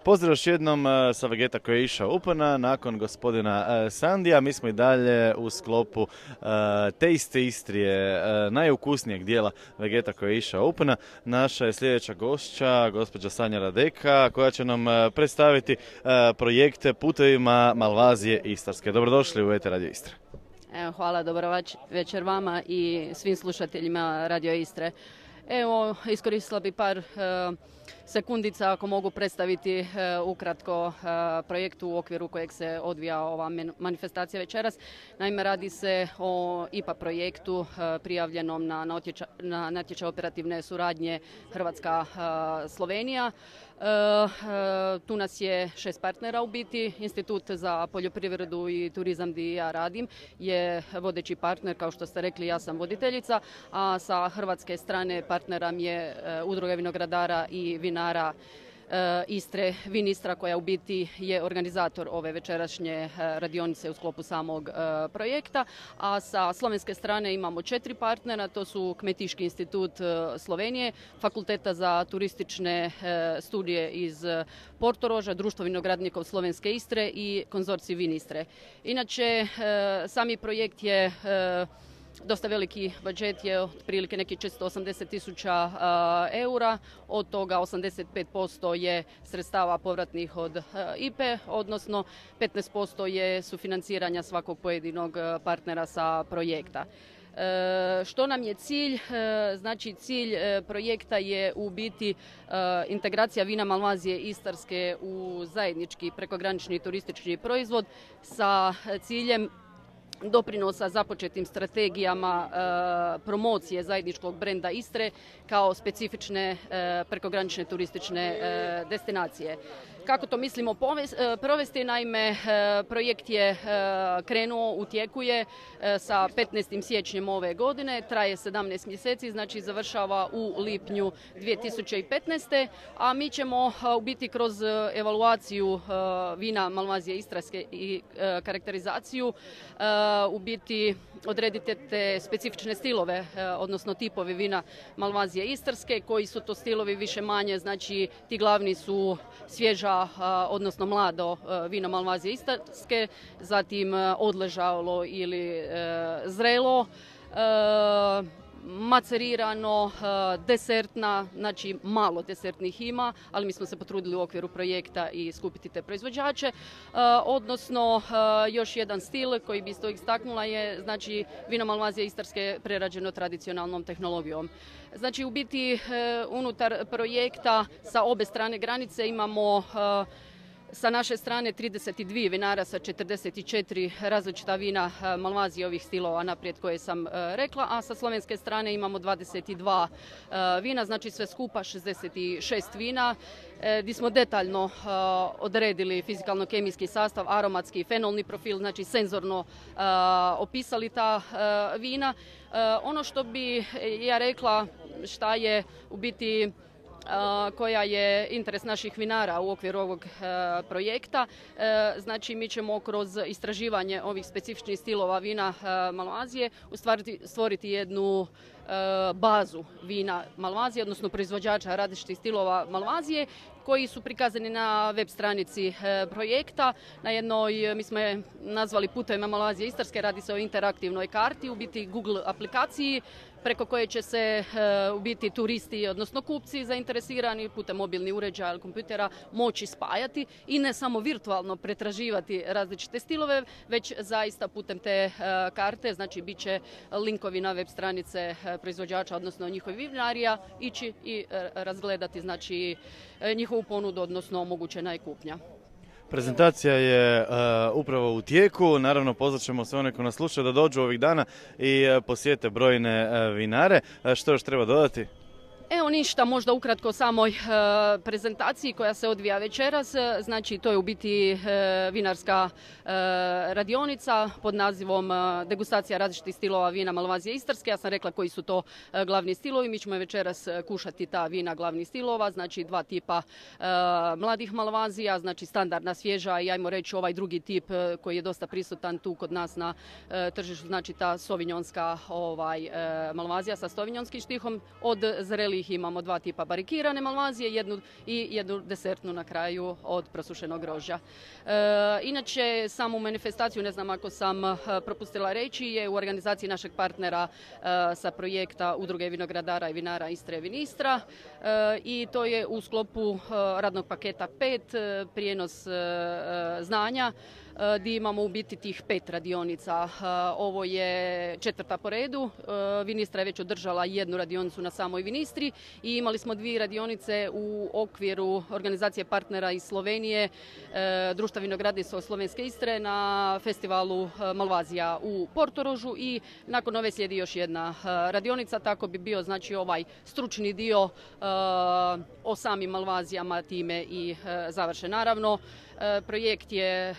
Pozdrav još jednom sa Vegeta koji je išao upana nakon gospodina Sandija. Mi smo i dalje u sklopu Taste Istrije, najukusnijeg dijela Vegeta koji je išao upana. Naša je sljedeća gošća, gospođa Sanja Radeka, koja će nam predstaviti projekte putevima Malvazije Istarske. Dobrodošli u ETR Radio Istre. Hvala, dobro večer vama i svim slušateljima Radio Istre. Evo, iskoristila bi par sekundica ako mogu predstaviti ukratko projekt u okviru kojeg se odvija ova manifestacija večeras. Naime, radi se o IPA projektu prijavljenom na natječaj operativne suradnje Hrvatska-Slovenija. Tu nas je 6 partnera u biti. Institut za poljoprivredu i turizam gdje ja radim je vodeći partner, kao što ste rekli, ja sam voditeljica, a sa hrvatske strane partnera mi je Udruga vinogradara i vinara Istre, Vin Istra, koja u biti je organizator ove večerašnje radionice u sklopu samog projekta. A sa slovenske strane imamo 4 partnera, to su Kmetiški institut Slovenije, Fakulteta za turistične studije iz Portoroža, Društvo vinogradnikov Slovenske Istre i Konzorcij Vin Istre. Inače, sami projekt je dosta veliki budžet, je otprilike neki 480.000 eura, od toga 85% je sredstava povratnih od IPE, odnosno 15% je sufinanciranja svakog pojedinog partnera sa projekta. Što nam je cilj? Znači, cilj projekta je u biti integracija vina Malvazije Istarske u zajednički prekogranični turistički proizvod sa ciljem doprinosa započetim strategijama promocije zajedničkog brenda Istre kao specifične prekogranične turistične destinacije. Kako to mislimo provesti? Naime, projekt je krenuo, u tijeku je sa 15. siječnjem ove godine, traje 17 mjeseci, znači završava u lipnju 2015. A mi ćemo u biti kroz evaluaciju vina Malvazije Istarske i karakterizaciju u biti odrediti te specifične stilove, odnosno tipovi vina Malvazije Istarske. Koji su to stilovi više manje, znači ti glavni su svježa, odnosno mlado vino Malvazije Istarske, zatim odležalo ili zrelo, macerirano, desertna, znači malo desertnih ima, ali mi smo se potrudili u okviru projekta i skupiti te proizvođače. Odnosno, još jedan stil koji bi isto istaknula je, znači, vino Malvazije Istarske prerađeno tradicionalnom tehnologijom. Znači, u biti, unutar projekta sa obe strane granice imamo sa naše strane 32 vinara sa 44 različita vina Malvazije ovih stilova naprijed koje sam rekla, a sa slovenske strane imamo 22 vina, znači sve skupa 66 vina, gdje smo detaljno odredili fizikalno-kemijski sastav, aromatski, fenolni profil, znači senzorno opisali ta vina. Ono što bi ja rekla šta je u biti koja je interes naših vinara u okviru ovog projekta. Znači, mi ćemo kroz istraživanje ovih specifičnih stilova vina Malvazije stvoriti jednu bazu vina Malvazije, odnosno proizvođača različitih stilova Malvazije, koji su prikazani na web stranici projekta. Na jednoj, mi smo je nazvali Putevima Malvazije Istarske, radi se o interaktivnoj karti, u biti Google aplikaciji, preko koje će se u biti turisti, odnosno kupci zainteresirani putem mobilnih uređaja ili kompjutera moći spajati i ne samo virtualno pretraživati različite stilove, već zaista putem te karte, znači bit će linkovi na web stranice proizvođača, odnosno njihovih vinarija, ići i razgledati, znači, njihovu ponudu, odnosno omogućena je kupnja. Prezentacija je upravo u tijeku, naravno pozvat ćemo sve one koji nas slušaju da dođu ovih dana i posjete brojne vinare. Što još treba dodati? Evo ništa, možda ukratko o samoj prezentaciji koja se odvija večeras. Znači, to je u biti vinarska radionica pod nazivom degustacija različitih stilova vina Malvazije Istarske. Ja sam rekla koji su to glavni stilovi. Mi ćemo večeras kušati ta vina glavnih stilova, znači 2 tipa mladih Malvazija, znači standardna svježa i ajmo reći ovaj drugi tip koji je dosta prisutan tu kod nas na tržištu, znači ta sovinjonska Malvazija sa sovinjonskim štihom, od zrelijih kojih imamo 2 tipa barikirane malvazije i jednu desertnu na kraju od prosušenog grožđa. Inače, samu manifestaciju, ne znam ako sam propustila reći, je u organizaciji našeg partnera sa projekta Udruge vinogradara i vinara Istre i Vinistra i to je u sklopu radnog paketa 5, prijenos znanja, gdje imamo u biti tih 5 radionica. Ovo je 4. po redu. Vinistra je već održala 1 radionicu na samoj Vinistri i imali smo 2 radionice u okviru organizacije partnera iz Slovenije, Društva vinogradnica Slovenske Istre na festivalu Malvazija u Portorožu i nakon ove slijedi još 1 radionica, tako bi bio znači ovaj stručni dio o samim Malvazijama time i završen. Naravno, projekt je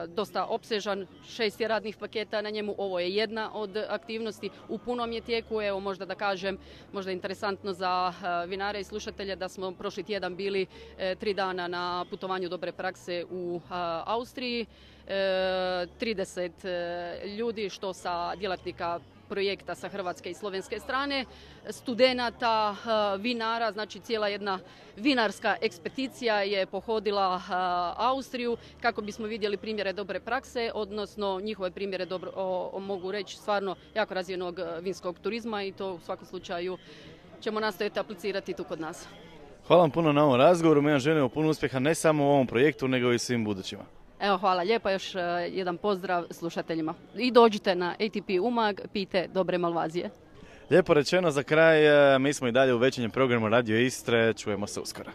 dosta opsežan, 6 je radnih paketa na njemu, ovo je jedna od aktivnosti, u punom je tijeku. Evo možda da kažem, možda interesantno za vinare i slušatelje da smo prošli tjedan bili 3 dana na putovanju dobre prakse u Austriji, 30 ljudi što sa djelatnika projekta sa hrvatske i slovenske strane, studenata, vinara, znači cijela jedna vinarska ekspedicija je pohodila Austriju kako bismo vidjeli primjere dobre prakse, odnosno njihove primjere mogu reći stvarno jako razvijenog vinskog turizma i to u svakom slučaju ćemo nastojati aplicirati tu kod nas. Hvala vam puno na ovom razgovoru, mi vam želimo puno uspjeha ne samo u ovom projektu nego i svim budućima. Evo, hvala lijepa, još jedan pozdrav slušateljima. I dođite na ATP Umag, pijte dobre malvazije. Lijepo rečeno za kraj, mi smo i dalje u večernjem programu Radio Istre, čujemo se uskoro.